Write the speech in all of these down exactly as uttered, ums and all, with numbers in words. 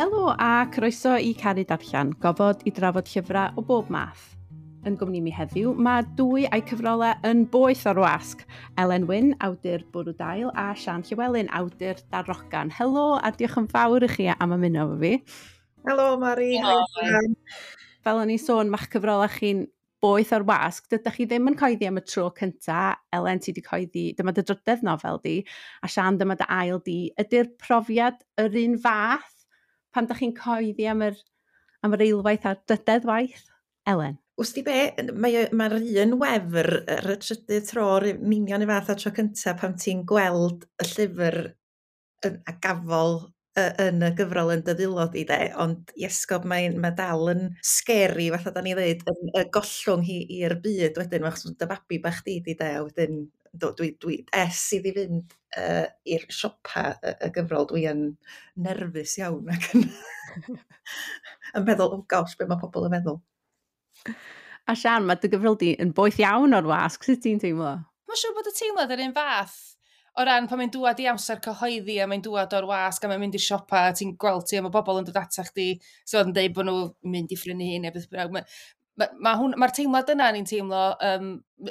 Helo a croeso i Caru Darllen, gofod i drafod llyfrau o bob math. Yn gwmni mi heddiw, mae dwy a'i cyfrolau yn boeth o'r wasg. Elen Wyn, awdur Bwrw Dail, a Sian Llywelyn, awdur Darogan. Helo a diolch yn fawr i chi am ymuno efo fi. Helo Mari. Helo. Fel o'n i'n sôn, mae'ch cyfrolau chi'n boeth o'r wasg. Dydych chi ddim yn coeddi am y tro cynta. Elen, ti wedi coeddi, dyma dy drydedd nofel di, a Sian, dyma dy ail di. Ydy'r profiad yr un fath pan dych chi'n coeddi am yr, am yr eilwaith a'r drydedd waith? Elen? Wsti be, mae'r mae un wefr ar y trydydd tro, yr union y fath a tro cyntaf pan ti'n gweld y llyfr yn, a gafol yn y gyfrol yn dy ddwylo di de, ond iesgob mae'n mae dal yn scary fatha da ni ddeud, yn y gollwng hi i'r byd wedyn, achos dy fabi bach di di de, a wedyn do, dwi, dwi es iddi fynd uh, i'r siopa y, y gyfrol, dwi yn nerfus iawn ac yn, yn meddwl, oh gosh, be mae pobl yn meddwl. A Sian, mae dy gyfrol di yn boeth iawn o'r wasg, sut ti'n teimlo? Mae'n siŵr bod y teimlad yr un fath o ran pan mae'n dŵad i amser cyhoeddi a mae'n dŵad o'r wasg a mae'n mynd i'r siopa a ti'n gweld ti a mae bobl yn dod ata chdi so yn deud bod nhw'n mynd i phrynu hi neu beth bynnag. Mae'r ma, ma hwn, ma teimlad yna ni'n teimlo, um,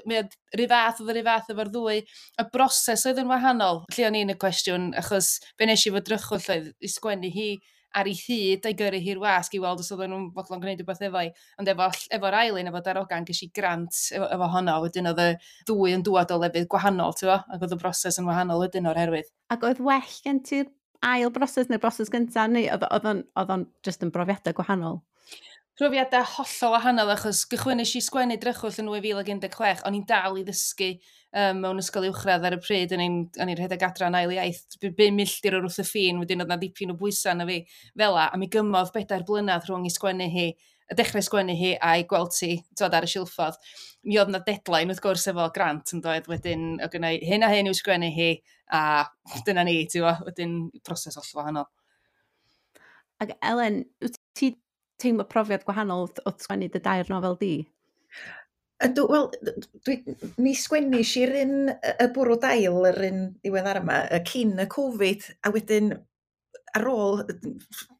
mae rhyw fath oedd yr un fath efo'r ddwy. Y broses oedd yn wahanol, lle o'n i'n y cwestiwn, achos be nes i fod drychwll oedd i sgwennu hi ar ei hyd a'i gyrru hi'r wasg i weld os oedden nhw'n fodlon gwneud rhywbeth efo hi. Ond efo, efo'r ail un, efo Darogan, ges i grant efo, efo honno, wedyn oedd y ddwy yn dŵad o lefydd gwahanol, ti'n bo? Ac oedd y broses yn wahanol wedyn o'r herwydd. Ac oedd well gen ti'r ail broses neu'r broses gyntaf, neu oedd o'n, oedd o'n just yn brofiadau gwahanol? Profiadau hollol wahanol, achos gychwynnes i sgwennu Drychwll yn dwy fil ag un deg chwech, o'n i'n dal i ddysgu um, mewn ysgol uwchradd ar y pryd, o'n i'n rhedeg adran ail iaith, bum milltir o'r wrth y ffin, wedyn oedd na dipyn o bwysau na fi fela, a mi gymodd bedair blynedd rhwng i sgwennu hi, y dechrau sgwennu hi a'i gweld ti, twod, ar y silffodd. Mi oedd na deadline wrth gwrs efo grant yn doedd, wedyn o gynna i hyn a hyn i'w sgwennu hi, a dyna ni, ti'n gwbo, wedyn proses hollol wahanol. Ac Elen, wyt ti teimlo profiad gwahanol wrth sgwennu dy dair nofel di? Ydw, wel, dwi, mi sgwennis i'r un y Bwrw Dail, yr un diweddar yma, cyn y Covid, a wedyn ar ôl,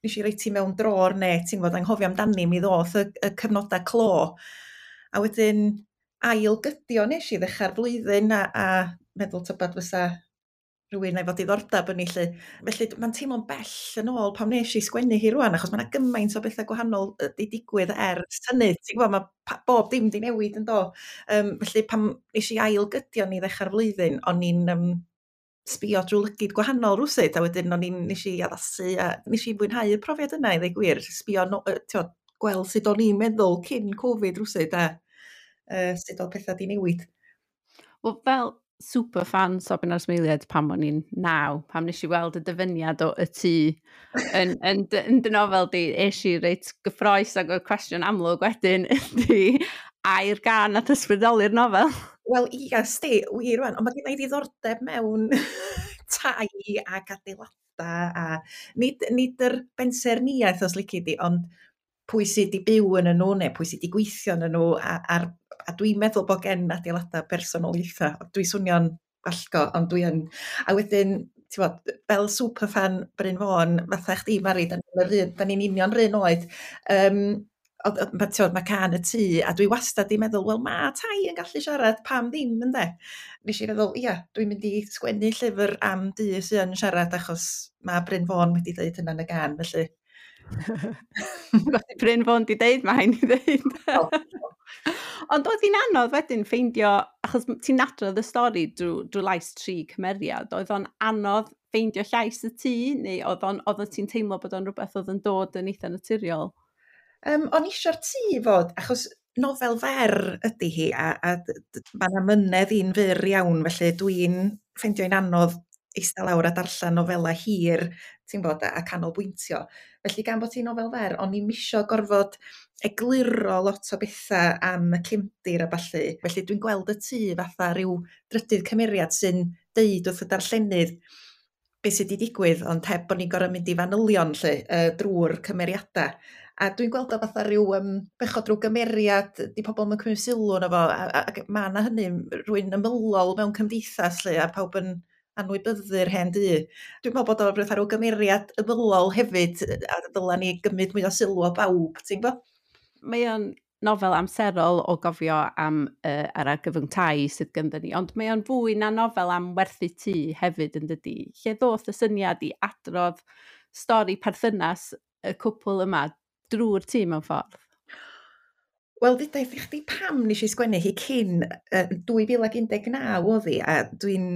nes i roi ti mewn drôr neu ti'n gwbod, anghofio amdani, mi ddoth y, y cyfnodau clo. A wedyn ail gydio nes i ddechrau'r flwyddyn a, a meddwl tybed fysa rhywun efo diddordeb yn ei lle. Felly mae'n teimlo'n bell yn ôl pam nes i sgwennu hi rwan, achos mae yna gymaint o bethau gwahanol wedi digwydd ers hynny. Ti'n gwybod, mae bob dim di newid yn do. Um, felly pam nes i ail gydio ni ddechrau'r flwyddyn, o'n i'n um, sbio drwy lygid gwahanol rwsut, a wedyn o'n i'n nes i addasu, a nes i fwynhau y profiad yna i ddweud gwir, sbio, no, tiod, gweld sut o'n i'n meddwl cyn Covid rwsut, a uh, sut oedd pethau di newid. Wel, fel super fan Sobin a'r Smeiliaid pan o'n i'n naw, pam nes i weld y dyfyniad o y tŷ yn, yn, yn dy nofel di, es i reit gyffroes ac o'r cwestiwn amlwg wedyn ydy, ai'r gân nath ysbrydoli'r nofel? Wel, ia, sti, wir rwan, ond mae gen i ddiddordeb mewn tai ac adeilada, a nid, nid yr bensaernïaeth os lici di, ond pwy sydd wedi byw yn nhw neu pwy sydd wedi gweithio yn nhw, a, a, a dwi'n meddwl bod gen adeilada personoliaethau. Dwi'n swnio'n wallgo, ond dwi yn... A wedyn, ti'n bod, fel superfan Bryn Fôn, fatha chdi, Mari, da ni'n union run oed, um, mae ti'n mae cân y tŷ, a dwi wastad di meddwl, wel, mae tai yn gallu siarad, pam ddim, ynde? Nes i feddwl, ia, dwi'n mynd i sgwennu llyfr am dŷ sydd yn siarad, achos mae Bryn Fôn wedi dweud hynna yn y gân, felly. Bryn Fôn di deud, mae hain i ddeud. Ond oedd hi'n anodd wedyn ffeindio, achos ti'n adrodd y stori drwy, drwy lais tri cymeriad, oedd o'n anodd ffeindio llais y tŷ, neu oedd o'n, oedd ti'n teimlo bod o'n rhywbeth oedd yn dod yn eitha naturiol? Um, o'n isio'r tŷ fod, achos nofel fer ydy hi, a, a mae yna mynedd i'n fyr iawn, felly dwi'n ffeindio'n anodd eistedd lawr a darllen nofela hir, ti'n bod, a, a canolbwyntio. Felly gan bod ti'n nofel fer, o'n i'm isio gorfod egluro lot o bethau am y cefndir a ballu. Felly dwi'n gweld y tŷ fatha rhyw drydydd cymeriad sy'n deud wrth y darllenydd beth sydd wedi digwydd, ond heb bod ni'n gorfod mynd i fanylion lle, uh, drwy'r cymeriadau. A dwi'n gweld o fatha rhyw um, bechod rhyw gymeriad, di pobl yn cymryd sylw yno fo, a, a, a mae yna hynny rhywun ymylol mewn cymdeithas lle, a pawb yn anwybyddu'r hen dŷ. Dwi'n meddwl bod o'n rhywbeth ar gymeriad ymylol hefyd, a dyla ni gymryd mwy o sylw o bawb, ti'n gwybod? Mae o'n nofel amserol o gofio am uh, yr argyfwng tai sydd gynddon ni, ond mae o'n fwy na nofel am werthu tŷ hefyd yn dydi. Lle ddoth y syniad i adrodd stori perthynas y cwpl yma drwy'r tŷ mewn ffordd? Wel, ddudaeth i chdi pam nes i sgwennu hi cyn uh, dwy fil ac un deg naw oedd hi, a dwi'n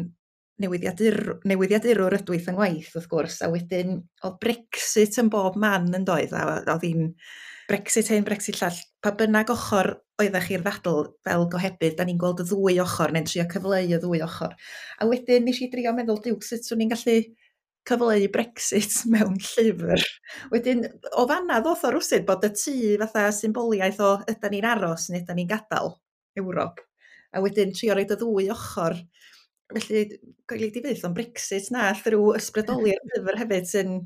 newyddiadur, newyddiadurwr ydw i yng ngwaith, wrth gwrs, a wedyn oedd Brexit yn bob man yn doedd, a oedd hi'n Brexit hyn, Brexit llall, pa bynnag ochr oeddech chi'r ddadl fel gohebydd, da ni'n gweld y ddwy ochr, neu'n trio cyfleu y ddwy ochr. A wedyn nes i drio meddwl, diw, sut swn i'n gallu cyfleu Brexit mewn llyfr. Wedyn, o fanna ddoth o rwsut bod y tŷ fatha symboliaeth o ydan ni'n aros neu ydan ni'n gadael Ewrop. A wedyn trio roid y ddwy ochr. Felly, goeli di fyth, ond Brexit na, rhyw ysbrydoli'r llyfr hefyd sy'n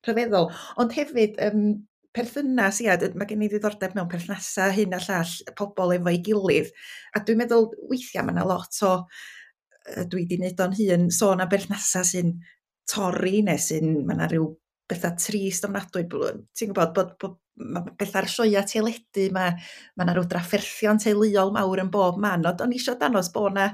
rhyfeddol. Ond hefyd, um, perthynas, ia, mae gen i ddiddordeb mewn perthnasau hyn a llall, pobl efo'i gilydd. A dwi'n meddwl, weithiau mae yna lot o, dwi wedi wneud o'n hun, sôn am berthnasau sy'n torri neu sy'n, mae yna rhyw bethau trist ofnadwy. Ti'n gwybod bod, bod mae bethau'r sioeau teledu, mae, mae yna rhyw drafferthion teuluol mawr yn bob man, ond o'n i eisiau danos bod yna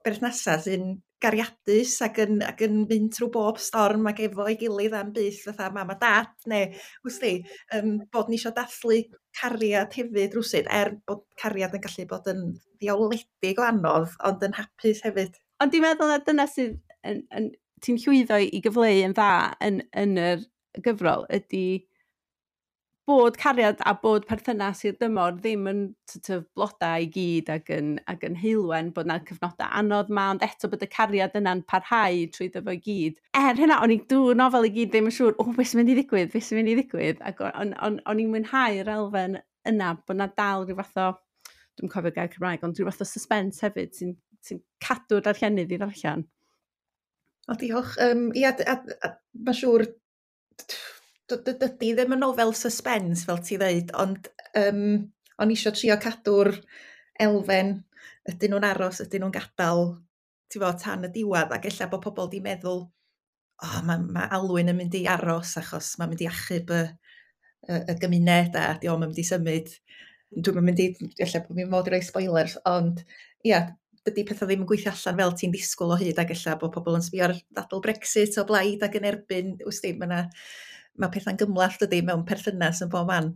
berthnasau sy'n gariadus ac yn, ac yn mynd trwy bob storm ac efo'i gilydd am byth fatha mam a dad, neu wsti, um, bod ni eisiau dathlu cariad hefyd rwsut, er bod cariad yn gallu bod yn ddiawledig o anodd, ond yn hapus hefyd. Ond dwi'n meddwl na dyna sydd yn, yn, ti'n llwyddo i gyfleu yn dda yn, yn yr gyfrol ydy bod cariad a bod perthynas i'r dymor ddim yn sort of blodau i gyd ac yn, ac yn heulwen, bod 'na cyfnodau anodd ma, ond eto bod y cariad yna'n parhau trwy fo i gyd. Er hynna, o'n i drwy'r nofel i gyd ddim yn siŵr, o, beth sy'n mynd i ddigwydd, beth sy'n mynd i ddigwydd, ac o'n, on, on i'n mwynhau'r elfen yna, bod 'na dal rhyw fath o, dwi'n cofio gair Cymraeg, ond rhyw fath o suspense hefyd sy'n sy cadw'r darllenydd i ddarllen. O, diolch. Um, ia, a, a, a, mae'n siŵr, dydy ddim yn nofel suspense, fel ti ddeud, ond um, o'n i eisiau trio cadw'r elfen, ydyn nhw'n aros, ydyn nhw'n gadael, ti'n fo, tan y diwedd, ac ella bod pobl di meddwl, oh, mae, mae Alwyn yn mynd i aros achos mae'n mynd i achub y, y, y gymuned a di o'm yn mynd i symud. Dwi'm yn mynd i, ella bod fi'n mod i roi spoilers, ond ia, dydy pethau ddim yn gweithio allan fel ti'n disgwyl o hyd, ac ella bod pobl yn sbio ar ddadl Brexit o blaid ac yn erbyn, wsti, mae 'na mae pethau'n gymhleth dydy mewn perthynas yn bob man.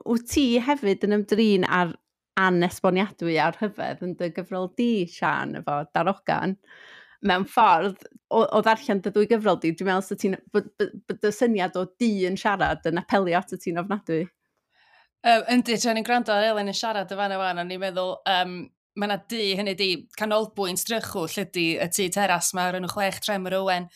Wyt ti hefyd yn ymdrin ar anesboniadwy a'r rhyfedd yn dy gyfrol di, Siân, efo Darogan? Mewn ffordd, o, o ddarllen dy ddwy gyfrol di, dwi'n meddwl ti'n, bod, bod y syniad o di yn siarad yn apelio at y ti'n ofnadwy. Um, yndi, tra ni'n gwrando ar Elen yn siarad y fan yma, o'n i'n meddwl, um, mae yna dŷ, hynny di, canolbwynt Drychwll ydy y tŷ teras, mae'r enw Chwech Tremor Owen.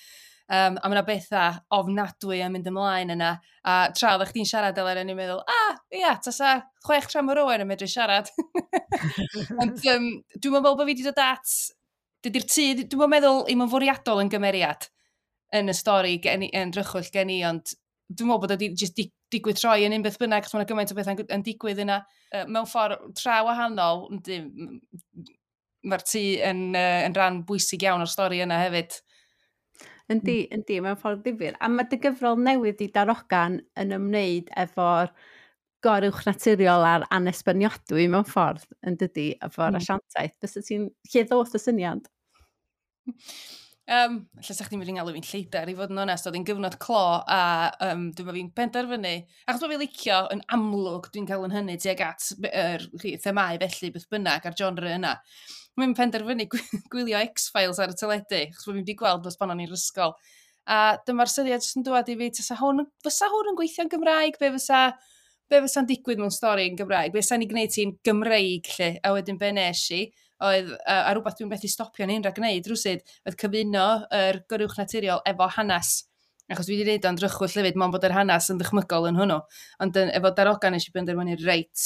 Um, a mae yna bethau ofnadwy yn mynd ymlaen yna. A tra oeddech chdi'n siarad, Elen, o'n i'n meddwl, ah, ia, tasa Chwech Tremor Owen yn medru siarad. Ond um, dwi'n meddwl bod fi wedi dod at, dydy'r tŷ, dwi'n meddwl i'm yn fwriadol yn gymeriad yn y stori gen i, yn Drychwll gen i, ond dwi'n meddwl bod o wedi jyst digwydd troi yn un beth bynnag, achos mae yna gymaint o bethau'n yn digwydd yna. Uh, mewn ffordd tra wahanol, yndi, mae'r tŷ yn, uh, yn rhan bwysig iawn o'r stori yna hefyd. Yndi, yndi, mewn ffordd ddifyr. A mae dy gyfrol newydd i Darogan yn ymwneud efo'r goruwch naturiol a'r anesboniadwy mewn ffordd, yn dydy, efo'r mm. asiantaeth. Fysa ti'n, lle ddoth y syniad? Um, lle sa chdi'n mynd i'n galw fi'n lleidar, i fod yn onest, oedd hi'n gyfnod clo a um, dwi'n meddwl fi'n penderfynu, achos bod fi'n licio yn amlwg dwi'n cael yn hynny tuag at yr er, themâu felly beth bynnag a'r genre yna. Mae'n penderfynu gwylio X-Files ar y teledu, achos bod fi'n wedi gweld dros pan o'n i'r ysgol. A dyma'r syniad jyst yn dŵad i fi, fysa hwn, fysa hwn yn gweithio'n Gymraeg, be fysa, be fysa'n digwydd mewn stori yn Gymraeg, be fysa'n ei gwneud ti'n Gymreig lle, a wedyn be nes i, oedd, uh, a rhywbeth dwi'n methu stopio yn un rhag gwneud rwsyd, oedd cyfuno yr goruwch naturiol efo hanes. Achos dwi wedi gwneud o'n Drychwll hefyd, mond bod yr hanes yn ddychmygol yn hwnnw. Ond yn, efo Darogan nes i benderfynu, reit,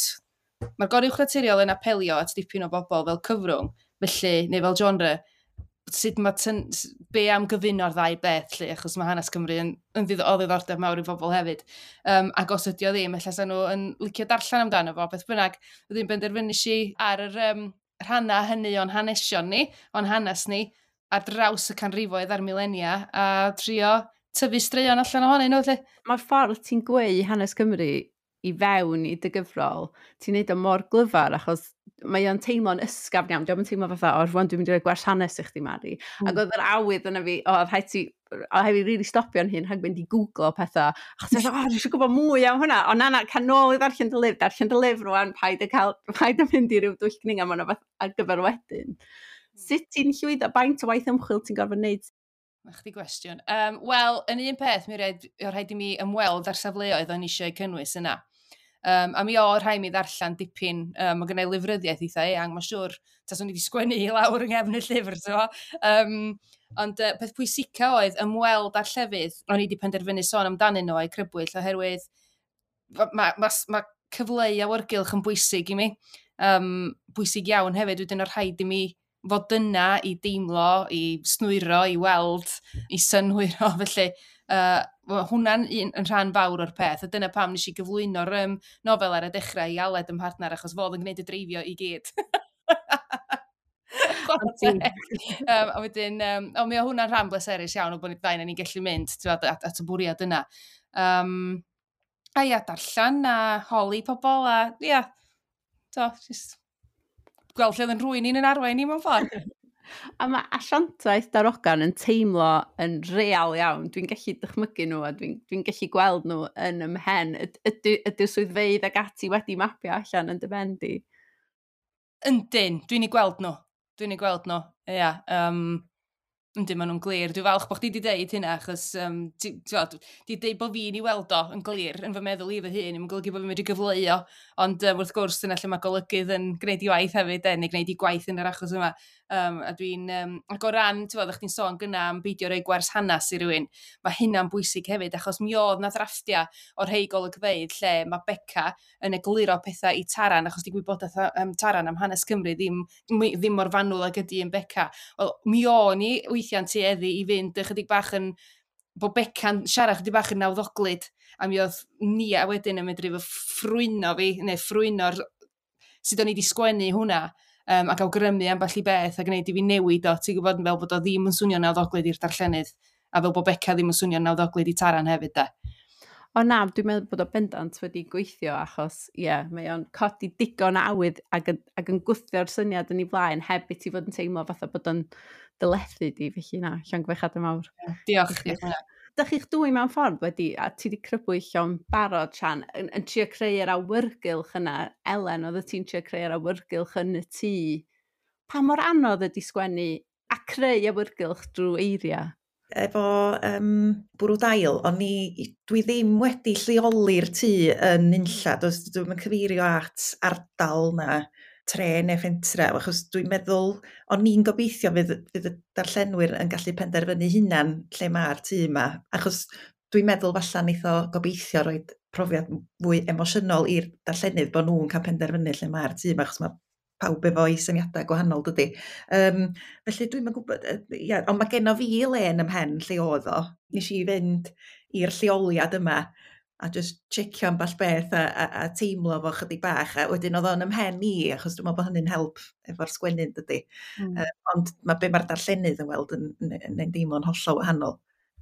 mae'r goruwch naturiol yn apelio at dipyn o bobl fel cyfrwng, felly, neu fel genre, sut mae tyn, be am gyfuno'r ddau beth, lle, achos mae hanes Cymru yn, yn ddidd, o ddiddordeb mawr i bobl hefyd. Um, ac os ydi o ddim, ella sa nhw yn licio darllen amdano fo, beth bynnag, wedyn benderfynu i ar yr um, rhannau hynny o'n hanesion ni, o'n hanes ni, ar draws y canrifoedd a'r milenia a trio tyfu straeon allan ohonyn nhw. Felly. Mae'r ffordd ti'n gweu hanes Cymru i fewn i dy gyfrol, ti'n neud o mor glyfar achos mae o'n teimlo'n ysgafn iawn. Dio'm yn teimlo fatha, "O, rwan dwi'n mynd i roi gwers hanes i chdi, Mari." Mm. Ac oedd yr awydd yna fi, o, rhaid ti, o, rhaid fi really stopio'n hun rhag mynd i googlo pethau. Achos dwi'n, "O, dwi eisiau gwybod mwy am hwnna." O, na, na, cael nôl i ddarllen dy lyfr, darllen dy lyfr rwan, paid y cael, paid y mynd i ryw dwll gninga, mae'n fath ar gyfer wedyn. Sut ti'n llwyddo, faint o waith ymchwil ti'n gorfod wneud? Na chdi gwestiwn. Um, Wel, yn un peth, mi rhaid, rhaid i mi ymweld ar safleoedd o'n eisiau cynnwys yna. Um, a mi o rhaid mi ddarllen dipyn, um, mae gennau lyfryddiaeth eitha eang, mae'n siŵr, taswn i wedi sgwennu i lawr yng nghefn y llyfr, so. Um, ond uh, peth pwysica oedd ymweld â'r llefydd o'n i wedi penderfynu sôn amdanyn nhw a'i crybwyll, oherwydd mae ma, ma, ma cyfleu awyrgylch yn bwysig i mi. Um, bwysig iawn hefyd, wedyn o rhaid i mi fod yna i deimlo, i snwyro, i weld, i synhwyro, felly uh, hwnna'n un, yn rhan fawr o'r peth, a dyna pam nes i gyflwyno'r um, nofel ar y dechrau i Aled yn partner, achos fodd yn gwneud y dreifio i gyd. um, a wedyn, um, o, mi o hwnna'n rhan bleserus iawn o bod ni ddau ni'n gallu mynd at, at, at y bwriad yna. Um, a ia, darllen a holi pobl a ia, to, just gweld lle oedd yn rhywun ni'n yn arwain ni mewn ffordd. A mae asiantaeth darogan yn teimlo yn real iawn. Dwi'n gallu dychmygu nhw a dwi'n dwi gallu gweld nhw yn ymhen. Ydy, ydy'r swyddfeydd ag ati wedi mapio allan yn dy ben di? Yndyn, dwi'n ei gweld nhw. Dwi'n ei gweld nhw, ia. Um, yndyn, maen nhw'n glir. Dwi'n falch bod chdi wedi deud hynna, achos um, ti, ti, di deud bod fi'n ei weld o yn glir yn fy meddwl i fy hun, ddim yn golygu bod fi'n medru gyfleu o. Ond um, wrth gwrs, dyna lle mae golygydd yn gwneud ei waith hefyd, e, neu gwneud ei gwaith yn yr achos yma. Um, a dwi'n, um, ac o ran, ti'n bod, chdi'n sôn gynna am beidio rhoi gwers hanes i rywun, mae hynna'n bwysig hefyd, achos mi oedd na ddrafftiau o'r rhei golygfeydd lle mae Beca yn egluro pethau i Taran, achos di gwybodaeth um, Taran am hanes Cymru ddim, ddim mor fanwl ag ydy yn Beca. Wel, mi o'n i weithiau'n tueddu i fynd ychydig bach yn, bod Beca'n siarad chydig bach yn nawddoglyd, a mi oedd Nia wedyn yn medru fy ffrwyno fi, neu ffrwyno'r sut o'n i wedi sgwennu hwnna, um, ac awgrymu ambell i beth a gwneud i fi newid o, ti'n gwybod, fel bod o ddim yn swnio'n nawddoglyd i'r darllenydd, a fel bod Beca ddim yn swnio'n nawddoglyd i Taran hefyd, da. O na, dwi'n meddwl bod o bendant wedi gweithio achos, ie, yeah, mae o'n codi digon o awydd ac, yn, ac yn gwthio'r syniad yn ei flaen heb i ti fod yn teimlo fatha bod o'n dylethu di, felly na, llongyfarchiadau mawr. Diolch, diolch. Dych chi'ch dwy mewn ffordd wedi, a ti wedi crybwyll o'n barod, Sian, yn, yn trio creu'r awyrgylch yna. Elen, oedd ti'n trio creu'r awyrgylch yn y tŷ. Pa mor anodd ydy sgwennu a creu awyrgylch drwy eiriau? Efo um, Bwrw Dail, o'n i, dwi ddim wedi lleoli'r tŷ yn unlla. Dwi'm yn cyfeirio at ardal na tre neu fentre, achos dwi'n meddwl, o'n i'n gobeithio fydd, fydd y darllenwyr yn gallu penderfynu hunan lle mae'r tŷ yma, achos dwi'n meddwl falla neith o gobeithio rhoi profiad fwy emosiynol i'r darllenydd bod nhw'n cael penderfynu lle mae'r tŷ yma, achos mae pawb efo'i syniadau gwahanol, dydy. Um, felly dwi'm yn gwybod, ia, ond mae genno fi le yn ymhen lle oedd o. Nes i fynd i'r lleoliad yma a just checio ambell beth a, a, a teimlo fo chydig bach, a wedyn oedd o'n ymhen i, achos dwi'n meddwl bod hynny'n help efo'r sgwennu, dydy. Mm. Um, ond mae be mae'r darllenydd yn weld yn, yn, yn, yn deimlo'n hollol wahanol.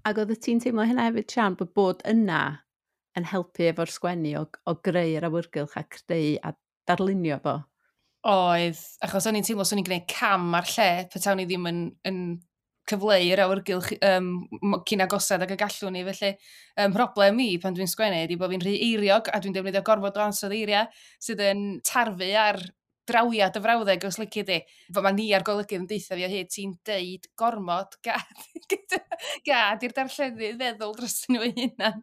Ac oedd ti'n teimlo hynna hefyd, Sian, bod bod yna yn helpu efo'r sgwennu o, o greu'r awyrgylch a creu a darlunio fo? Oedd, achos o'n i'n teimlo swn i'n gwneud cam ar lle, petawn i ddim yn, yn cyfleu'r awyrgylch um, cyn agosad ag y gallwn ni. Felly, um, problem i pan dwi'n sgwennu ydy bod fi'n rhy eiriog a dwi'n defnyddio gorfod o ansawdd eiriau sydd yn tarfu ar drawiad y frawddeg os lici di. Mae ni ar golygydd yn deutha fi o hyd, ti'n deud gormod, gad, gad i'r darllenydd feddwl dros nhw eu hunan.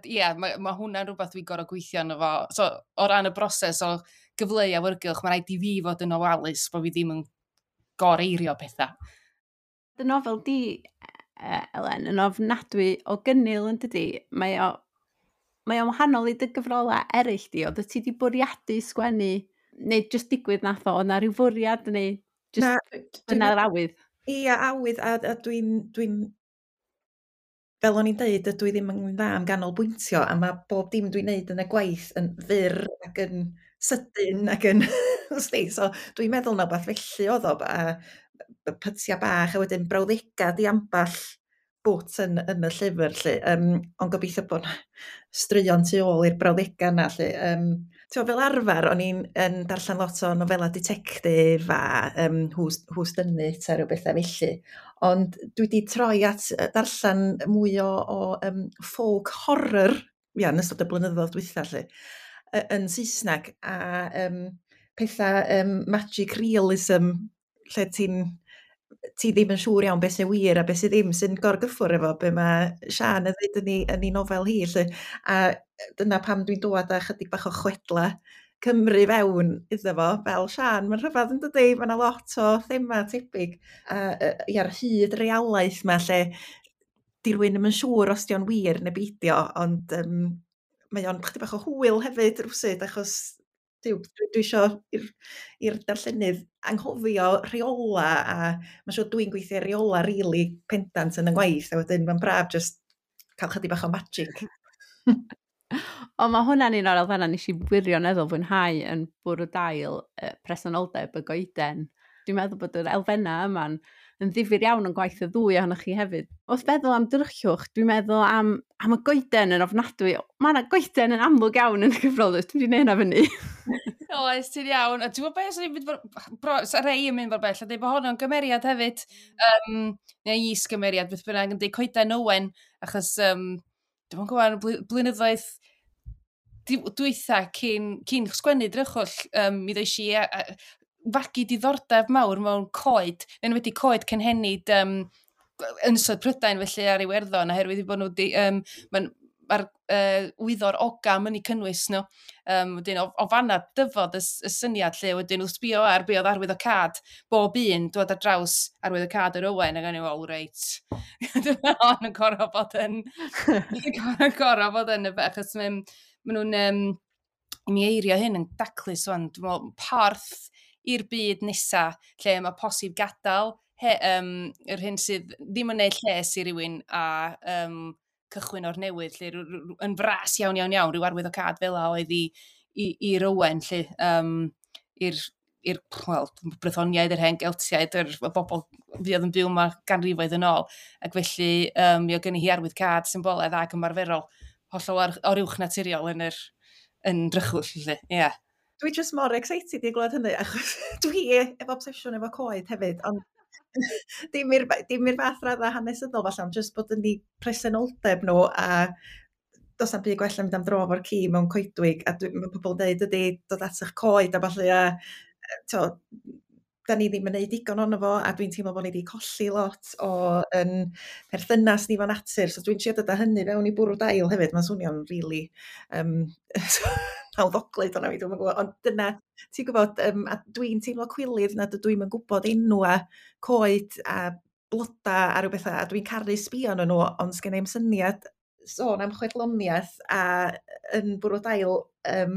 Ie, mae ma hwnna'n rhywbeth dwi'n gorfod gweithio arno fo. So, o ran y broses o gyfleu awyrgylch, mae rhaid i fi fod yn ofalus bod fi ddim yn goreirio pethau. Dy nofel di, Elen, yn ofnadwy o gynnil yn dydi. Mae o, mae o'n wahanol i dy gyfrolau eraill di. Oedd ti di bwriadu sgwennu, neu jyst digwydd nath o, oedd na rhyw fwriad, neu jyst dyna'r awydd? Ia, awydd, a, a dwi'n, dwi'n, fel o'n i'n deud, dydw i ddim yn dda am ganolbwyntio, a mae bob dim dwi'n neud yn y gwaith yn fyr ac yn sydyn ac yn, so dwi'n meddwl na beth felly oedd o, a pytia bach, a wedyn brawddega di amball bwt yn, yn y llyfr, lle. Um, ond gobeithio bod straeon tu ôl i'r brawddega yna, lle. Um, Ti'n fel arfer, o'n i'n yn darllen lot o nofela ditectif a um, Who's, Who's Done It a rhyw bethau felly. Ond dwi wedi troi at darllen mwy o, o um, folk horror, ia, yn ystod y blynyddoedd dwytha, lle, yn Saesneg, a um, pethau um, magic realism, lle ti'n ti ddim yn siŵr iawn beth sy'n wir a beth sydd ddim, sy'n gorgyffwr efo be mae Siân yn dweud yn ei, yn ei nofel hi. Lle. A dyna pam dwi'n dod â chydig bach o chwedla Cymru fewn iddo fo, fel Siân, mae'n rhyfedd yn dydi, mae yna lot o thema tebyg. A ia'r hyd realaeth yma lle di rywun ddim yn siŵr os di o'n wir neu beidio, ond um, mae o'n chydig bach o hwyl hefyd rywsut, achos Duw, dwi, dwi isio i'r, i'r darllenydd anghofio rheola, a mae'n siŵr dwi'n gweithio ar reola rili pendant yn y ngwaith, a wedyn mae'n braf just cael chydig bach o magic. Ond mae hwnna'n un o'r elfennau nes i wirioneddol fwynhau yn Bwrw Dail, uh, presenoldeb y goeden. Dwi'n meddwl bod yr elfennau yma'n yn ddifyr iawn yn gwaith y ddwy ohonoch chi hefyd. Wrth feddwl am drychwch, dwi'n meddwl am, am y goeden yn ofnadwy. Mae yna goeden yn amlwg iawn yn y gyfrol, dwi'n wedi neud hynna fyny. Oes, ti'n iawn. A ti'n gwybod beth, swn i'n mynd bro, sa rei yn mynd mor bell, a dweud bod honno'n gymeriad hefyd, um, neu is-gymeriad, beth bynnag, yn dweud Coeden Owen, achos, um, dwi'n gwybod, blynyddoedd dwytha cyn, cyn sgwennu Drychwll, um, mi ddois i a, a, fagu diddordeb mawr mewn coed, neu wedi coed cynhenid um, Ynysoedd Prydain felly ar Iwerddon, oherwydd i bod nhw di, um, ma'n, mae'r uh, wyddor ogam yn eu cynnwys nhw. Um, wedyn, o, o fanna dyfod y, y syniad lle, wedyn wrth sbio ar be oedd arwyddocâd bob un, dod ar draws arwyddocâd yr Owen, ac o'n i, wel, reit, dyma hon yn gorfod bod yn, gorfod bod yn y fe, achos maen ma nhw'n, um, i mi eirio hyn yn daclus wan, dwi'n meddwl, porth i'r byd nesa, lle mae posib gadael he, um, yr hyn sydd ddim yn neud lles i rywun a um, cychwyn o'r newydd, lle yn fras iawn, iawn, iawn, rhyw arwyddocâd fel a oedd i, i, i'r Owen, lle, um, i'r, i'r, wel, Brythoniaid, yr hen Geltiaid, yr, y bobl fuodd yn byw yma ganrifoedd yn ôl, ac felly um, mi oedd gen i hi arwyddocâd symbolaidd ac ymarferol, hollol ar, o'r uwch naturiol yn yr yn Drychwll, felly, ie. Yeah. Dwi just mor excited i glywed hynny, achos dwi efo obsesiwn efo coed hefyd, ond dim i'r dim i'r fath radda hanesyddol falle, ond just bod yn eu presenoldeb nhw, a does na'm byd gwell na mynd am dro efo'r ci mewn coedwig, a dwi, mae pobl yn dweud ydy dod at eich coed a falle, a to, da ni ddim yn neud digon ono fo, a dwi'n teimlo bod ni wedi colli lot o yn perthynas ni fo natur, so dwi'n trio dod â hynny fewn i Bwrw Dail hefyd, mae'n swnio'n really um, nawddoglyd o'na fi, dwi'n gwybod, ond dyna, ti'n gwybod, um, a dwi'n teimlo cwilydd nad ydw i'm yn gwybod enwa coed a bloda a rhyw bethau, a dwi'n caru sbio arnyn nhw, ond sgen i'm syniad sôn am chwedloniaeth a yn Bwrw Dail um,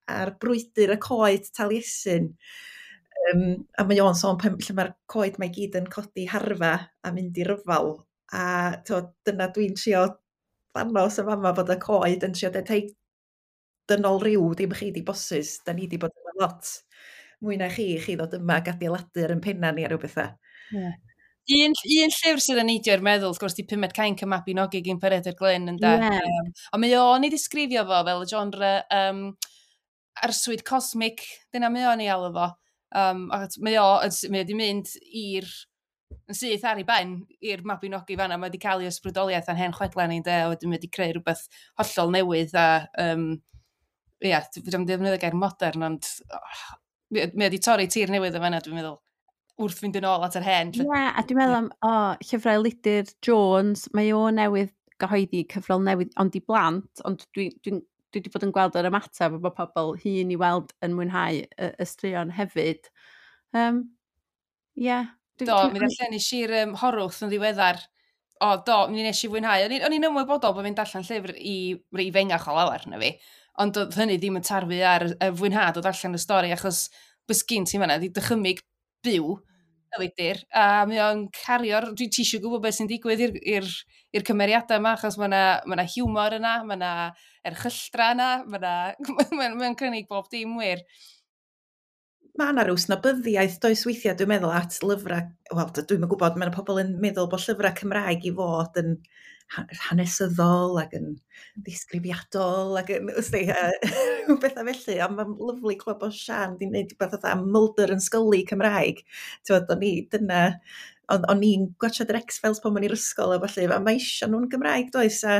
ar brwydr y coed Taliesin. Um, a mae o'n sôn pen, lle mae'r coed mae gyd yn codi harfa a mynd i ryfal. A to, dyna dwi'n trio dangos y fama bod y coed yn trio deud, hei, dynol ryw, dim chi di bosses, da ni di bod yma lot mwy na chi, chi ddod yma ac adeiladu ar ein penna ni a rhyw bethau. Yeah. Un, un llyfr sydd yn neidio i'r meddwl, wrth gwrs, di Pumed Cainc y Mabinogi gyn Peredur Glyn, ynde? Yeah. Um, ond mae o'n ei ddisgrifio fo fel y genre um, arswyd cosmic, dyna mae o'n ei alw fo. Um, ac mae o, mae o wedi mynd i'r, yn syth ar ei ben, i'r Mabinogi fanna, mae wedi cael ei ysbrydoliaeth a'n hen chwedlau ni, ynde, a wedyn mae wedi creu rhywbeth hollol newydd a, um, ia, dwi'n defnyddio gair modern, ond oh, mae wedi torri tir newydd o fanna, dwi'n meddwl, wrth fynd yn ôl at yr hen. Ie, yeah, a dwi'n meddwl am o, llyfrau Elidir Jones, mae o newydd gyhoeddi cyfrol newydd, ond i blant, ond dwi'n dwi, dwi wedi bod yn gweld yr ymateb o bod pobl hŷn i weld yn mwynhau y, y straeon hefyd. Um, yeah. Dwi, do, dwi, mi ddarllen i'r um, Horwth yn ddiweddar. O, do, mi nes i fwynhau. O'n i'n ymwybodol bod fi'n darllen llyfr i rei fengach o lawer na fi, ond oedd hynny ddim yn tarfu ar y fwynhad o darllen y stori, achos bys gyn ti fanna, di dychymyg byw, Elidir, a mae o'n cario'r, dwi ti eisiau gwybod beth sy'n digwydd i'r i'r i'r cymeriadau yma, achos mae yna ma hiwmor yna, mae yna erchylltra yna, mae yna, mae'n mae cynnig bob dim wir. Mae yna rhyw snobyddiaeth does weithiau, dwi'n meddwl, at lyfrau, wel, dwi'n gwybod, mae yna pobl yn meddwl bod llyfrau Cymraeg i fod yn hanesyddol ac yn ddisgrifiadol ac yn, wsti, uh, bethau felly, ond mae'n lyfli clywed bod Sian di wneud rhywbeth fatha Mulder and Scully Cymraeg. Ti'n o'n i, dyna, o'n, o'n i'n gwatsiad yr X-Files pan o'n i'r ysgol a felly, a mae eisiau nhw'n Gymraeg, does, a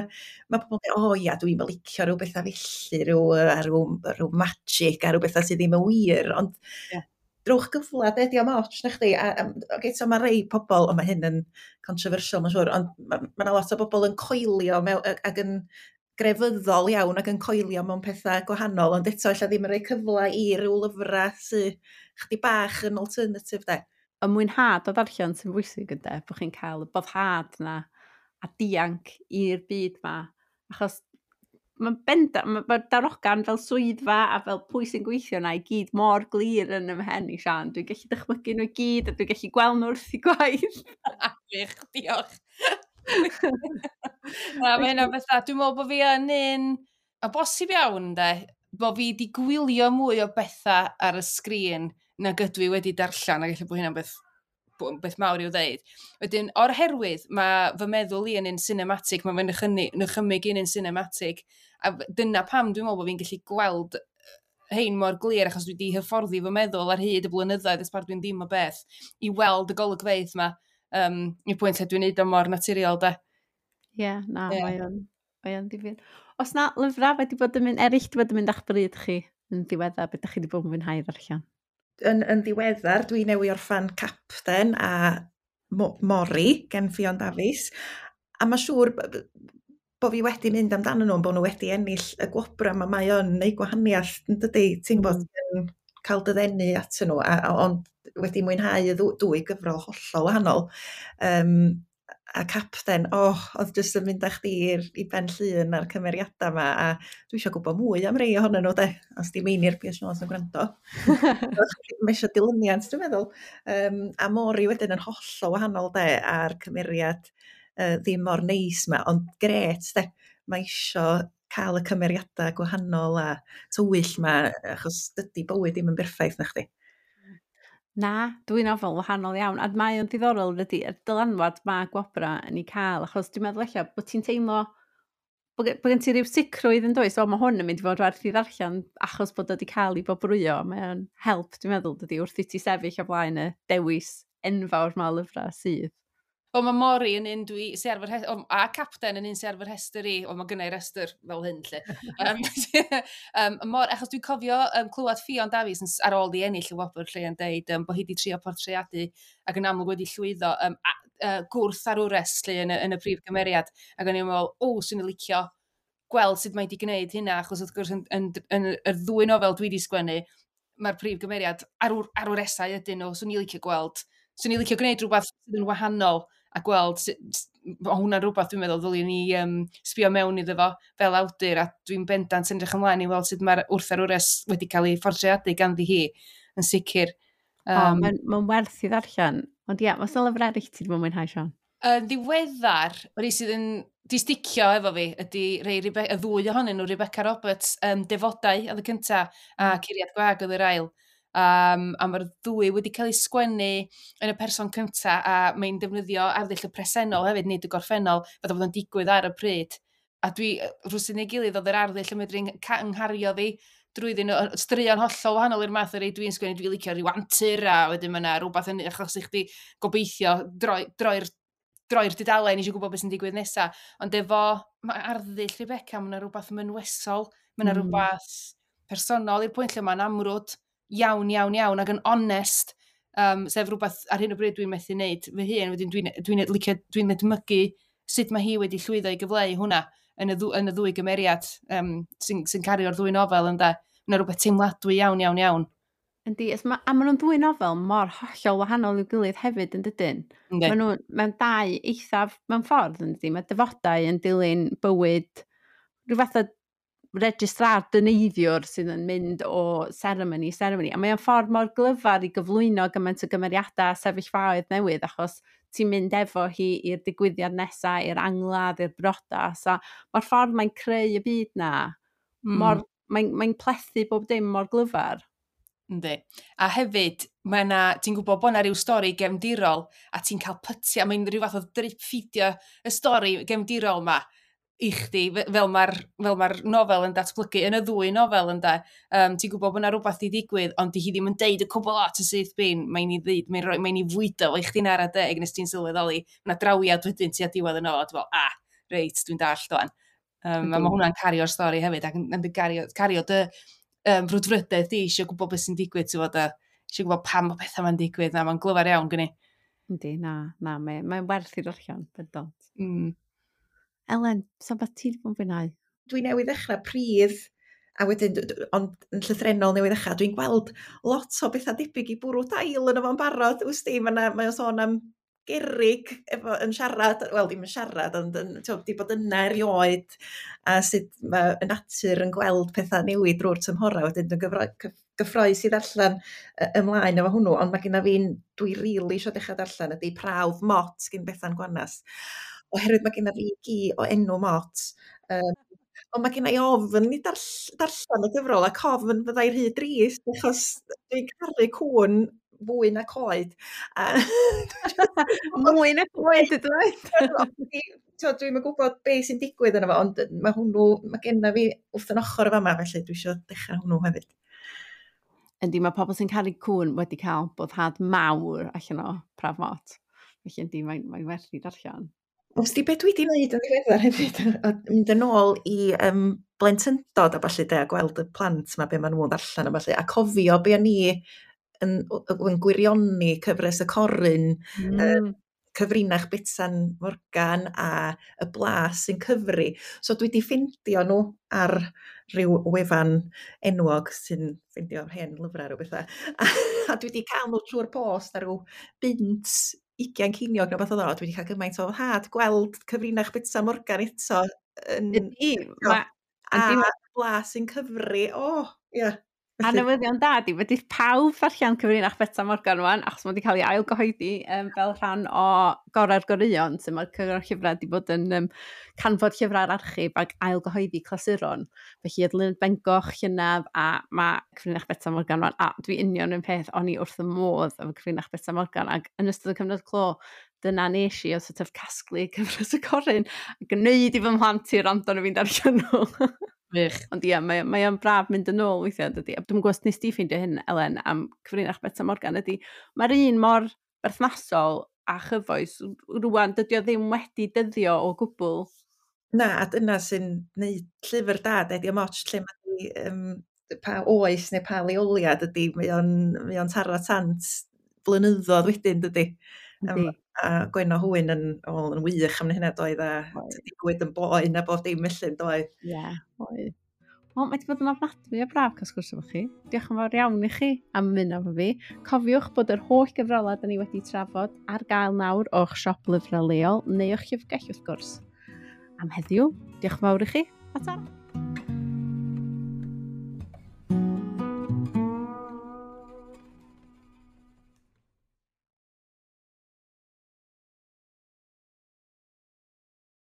mae pobl yn dweud, o ia, dwi'n licio rhyw bethau felly, rhyw, a rhyw, rhyw magic a rhyw bethau sydd ddim yn wir, ond yeah, drwch gyfle, de, diolch ots, na chdi. A, a, okay, so mae rei pobl, ond mae hyn yn controversial, mae'n siŵr, ond mae ma 'na lot o bobl yn coelio mewn, ac yn grefyddol iawn ac yn coelio mewn pethau gwahanol, ond eto ella ddim yn rhoi cyfle i ryw lyfrau sydd chdi bach yn alternative, de. Y mwynhad o ddarllen sy'n bwysig ynde, bod chi'n cael y boddhad na a dianc i'r byd ma. Achos mae'n benda, mae ma darogan fel swyddfa a fel pwy sy'n gweithio na i gyd mor glir yn 'y mhen i, Sian. Dwi'n gallu dychmygu nhw i gyd a dwi'n gallu gweld nhw wrth i gwaith. Gwych, diolch. Na, mae hynna'n beth. Dwi'n meddwl bod fi yn un, a bosib iawn, de, bod fi wedi gwylio mwy o bethau ar y sgrin nag ydw i wedi darllen, a gallu bod hynna'n beth beth mawr i'w ddeud. Wedyn, o'r herwydd, mae fy meddwl i yn un cinematic, mae fy nychymyg i'n un cinematic, a dyna pam dwi'n meddwl bod fi'n gallu gweld hein mor glir, achos dwi wedi hyfforddi fy meddwl ar hyd y blynyddoedd, ers dwi'n ddim o beth, i weld y golygfeydd yma, um, i'r pwynt lle dwi'n neud o mor naturiol, de. Ie, yeah, na, yeah. mae o'n mae o'n ddifyr. Os na lyfrau wedi bod yn mynd, eraill wedi bod yn mynd â'ch bryd chi yn ddiweddar, beth ydych chi wedi bod yn mwynhau ddarllen? Yn, yn ddiweddar, dwi newydd orffan Capten a Mori gen Ffion Dafis, a mae siŵr bod fi wedi mynd amdano nhw, bod nhw wedi ennill y gwobrau, ma mae o'n neud gwahaniaeth, yn dydy, ti'n gwybod, mm. cael dy ddenu at nhw, a, a, ond wedi mwynhau y dwy gyfrol hollol wahanol. Um, a Capten, oh, oedd jyst yn mynd â chdi i Ben Llŷn a'r cymeriadau yma, a dwi eisiau gwybod mwy am rei ohonyn nhw, de, os di Meinir Pierce Jones yn gwrando. Mae eisiau dilyniant, dwi'n meddwl. Um, a Mori wedyn yn hollol wahanol, de, a'r cymeriad uh, ddim mor neis yma, ond gret, de, mae eisiau cael y cymeriadau gwahanol a tywyll yma, achos dydy bywyd ddim yn berffaith, na chdi. Na, dwi'n nofel wahanol iawn, a mae o'n diddorol ydy, y dylanwad mae gwobra yn ei cael, achos dwi'n meddwl ella bod ti'n teimlo, bod, bod gen ti ryw sicrwydd yn does, o mae hwn yn mynd i fod werth i ddarllen achos bod o wedi cael ei bobrwyo, mae o'n help, dwi'n meddwl, dydy, wrth i ti sefyll o flaen y dewis enfawr mae o lyfrau sydd. O, mae Mori yn un dwi, sy ar fy rhestr, a Capten yn un sy ar fy rhestr i, o, mae gynna i restr fel hyn, lle. um, um, mor, achos dwi'n cofio um, clywed Ffion Dafis yn, ar ôl i ennill y wobr lle yn deud um, bod hi wedi trio portreadu ac yn amlwg wedi llwyddo um, a, uh, gwrth arwres lle yn y, yn y prif gymeriad. Ac o'n i'n meddwl, o, swn i'n licio gweld sut mae wedi gwneud hynna, achos wrth gwrs yn, yn, yn, yn, y ddwy nofel dwi wedi sgwennu, mae'r prif gymeriad arwr, arwresau ydyn nhw, swn i'n licio gweld. Swn i'n licio gwneud rhywbeth sydd yn wahanol a gweld, o hwnna'n rhywbeth dwi'n meddwl ddylwn ni um, sbio mewn iddo fo fel awdur, a dwi'n bendant yn edrych ymlaen i weld sut mae'r wrth arwres wedi cael ei phortreadu ganddi hi yn sicr. Um, o, mae'n ma werth i ddarllen. Ond ie, yeah, oes 'na lyfr eraill ti wedi bod yn mwynhau, Sian? Yn ddiweddar, yr un sydd yn di sticio efo fi ydy rei Rebe y ddwy ohonyn nhw, Rebecca Roberts, um, Defodau oedd y cynta, a Curiad Gwag oedd yr ail. Um, a mae'r ddwy wedi cael eu sgwennu yn y person cynta, a mae'n defnyddio arddull y presennol hefyd, nid y gorffennol, fatha bod o'n digwydd ar y pryd. A dwi, rhywsut neu gilydd, oedd yr arddull yn medru nghario fi drwyddyn nhw, straeon hollol wahanol i'r math o'r rei dwi'n sgwennu, dwi'n licio rhyw antur, a wedyn mae yna rhywbeth yn achos i chdi gobeithio droi'r droi droi'r dudalen eisiau gwybod beth sy'n digwydd nesaf. Ond efo, mae arddull Rebecca, mae yna rhywbeth mynwesol, mae yna mm. rhywbeth personol i'r pwynt lle mae'n amrwd iawn, iawn, iawn, ac yn onest, um, sef rhywbeth ar hyn o bryd dwi'n methu wneud fy hun, wedyn dwi'n dwi licio, dwi'n edmygu sut mae hi wedi llwyddo i gyfleu hwnna yn y, ddw, yn y ddwy gymeriad um, sy'n sy cario'r ddwy nofel ynde. Mae yna rhywbeth teimladwy iawn, iawn, iawn. Yndi, ma, a maen nhw'n ddwy nofel mor hollol wahanol i'w gilydd hefyd yn dydyn. Yndi. Maen nhw mewn dau eithaf mewn ffordd yn dydyn. Mae Defodau yn dilyn bywyd rhyw fath o registrar dyneiddiwr sydd yn mynd o seremoni i seremoni. A mae o'n ffordd mor glyfar i gyflwyno gymaint o gymeriadau a sefyllfaoedd newydd, achos ti'n mynd efo hi i'r digwyddiad nesaf, i'r angladd, i'r briodas. A mae'r ffordd mae'n creu y byd na, mm. mor, mae'n mae plethu bob dim mor glyfar. Yndi. A hefyd, mae 'na, ti'n gwybod bod 'na ryw stori gefndirol a ti'n cael pytia, mae'n rhyw fath o drip feedio y stori gefndirol 'ma i chdi, fel mae'r fel mae'r nofel yn datblygu, yn y ddwy nofel ynde. Um, ti'n gwybod bod 'na rhywbeth 'di digwydd, ond di hi ddim yn deud y cwbl lot y syth bin, mae'n i ddeud, mae'n rhoi, mae'n i fwydo fo i chdi'n ara deg nes ti'n sylweddoli, mae 'na drawiad wedyn tua diwedd y nofel, a ti'n fel, ah, reit, dwi'n dallt wan. Um, a mae hwnna'n cario'r stori hefyd, ac yn, yn gario, cario dy um, frwdfrydedd di, eisiau gwybod beth sy'n digwydd, ti'n fod, a eisiau gwybod pam mae pethau ma'n digwydd, na, mae'n glyfar iawn gynni. Yndi, na, na, mae'n mae werth i ddarllen, bendant. Mm. Elen, so beth ti wedi bod yn fwynhau? Dwi newydd ddechrau Pridd, a wedyn, ond yn llythrennol newydd ddechrau, dwi'n gweld lot o bethau debyg i Bwrw Dail yn efo'n barod, wsti, mae'n mae o'n sôn am gerrig efo, yn siarad, wel ddim yn siarad, ond yn, t'wo, di bod yna erioed, a sut mae y natur yn gweld pethau newid drwy'r tymhorau, wedyn dwi'n gyfro, gyffroes i ddarllen ymlaen efo hwnnw, ond mae genna fi'n, dwi rili really eisiau dechrau darllen ydy Prawf Mot gyn Bethan Gwanas, oherwydd mae genna fi gi o enw Mot, um, ond mae genna i ofn i darllen y gyfrol, ac ofn fyddai rhy drist, achos dwi'n caru cŵn fwy na coed. A mwy na coed ydw i. Dwi'm yn gwybod beth sy'n digwydd yno fo, ond mae hwnnw, mae genna fi wrth yn ochr y fama, felly dwi eisiau dechrau hwnnw hefyd. Yndi, mae pobl sy'n caru cŵn wedi cael boddhad mawr allan o Prawf Mot. Felly yndi, mae'n mae werth i darllen. Wst ti beth dwi wedi wneud yn ddiweddar hefyd, mynd yn ôl i um, blentyndod a ballu de, a gweld y plant ma, be maen nhw'n ddarllen a ballu, a cofio be o'n i yn, yn gwirioni cyfres y Corun, mm. uh, Cyfrinach Betsan Morgan a y Blas sy'n cyfri. So dwi wedi ffindio nhw ar rhyw wefan enwog sy'n ffindio hen lyfrau rhyw bethau. A, a dwi wedi cael nhw trwy'r post ar ryw bunt ugian ceiniog neu beth oedd o. Dwi wedi cael gymaint o foddhad gweld Cyfrinach Betsan Morgan eto. Yn, Ydy, ma, a Blas sy'n cyfri. O, oh, ie. Yeah. A newyddion da di, wedi pawb ddarllen Cyfrinach Betsan Morgan rwan, achos mae wedi cael ei ailgyhoeddi um, fel rhan o Gorau'r Goreuon, sy'n mae'r Cyngor Llyfrau wedi bod yn um, canfod llyfrau'r archif ac ailgyhoeddi clasuron. Felly oedd Luned Bengoch llynedd a mae Cyfrinach Betsan Morgan rwan, a dwi union yn peth, o'n i wrth y modd efo Cyfrinach Betsan Morgan, ac yn ystod y cyfnod clo, dyna nes i o sort of casglu cyfres y Corun a gwneud i fy mhlant i rando na fi'n darllen nhw. Wych. Ond ie, mae, mae o'n braf mynd yn ôl weithiau, dydy. A dwi'm yn gwybod os nes di ffeindio hyn, Elen, am Cyfrinach Betsan Morgan, ydy, mae'r un mor berthnasol a chyfoes rwan, dydy o ddim wedi dyddio o gwbl. Na, a dyna sy'n neud llyfr da, dydy o'm ots lle mae um, pa oes neu pa leoliad ydy, mae o'n, mae o'n taro tant blynyddoedd wedyn, dydy. Um, a Gwenno Hwyn yn, well, yn wych am hynna doedd, a dydy bywyd yn boen a bob dim felly doedd. Ie, yeah, oedd. Wel, mae wedi bod yn ofnadwy o braf cael sgwrs efo chi. Diolch yn fawr iawn i chi am ymuno efo fi. Cofiwch bod yr holl gyfrolau da ni wedi trafod ar gael nawr o'ch siop lyfrau leol neu o'ch llyfrgell wrth gwrs. Am heddiw, diolch yn fawr i chi, a ta!